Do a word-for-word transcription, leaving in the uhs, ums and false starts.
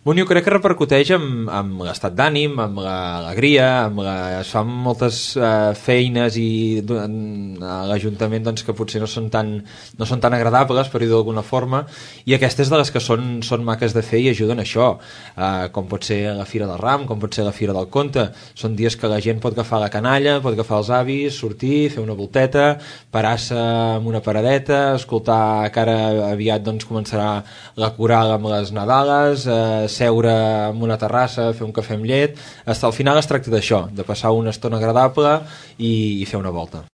Bueno, jo crec que repercuteix amb, amb l'estat d'ànim, amb l'alegria, amb la... es fan moltes uh, feines i a l'Ajuntament doncs, que potser no són tan, no són tan agradables, per dir-ho d'alguna forma, i aquestes de les que són, són maques de fer i ajuden a això, uh, com pot ser la Fira del Ram, com pot ser la Fira del Conte. Són dies que la gent pot agafar la canalla, pot agafar els avis, sortir, fer una volteta, parar-se en una paradeta, escoltar que ara aviat doncs, començarà la coral amb les Nadales, eh, seure en una terrassa, fer un cafè amb llet. Al final es tracta d'això, de passar una estona agradable i, i fer una volta.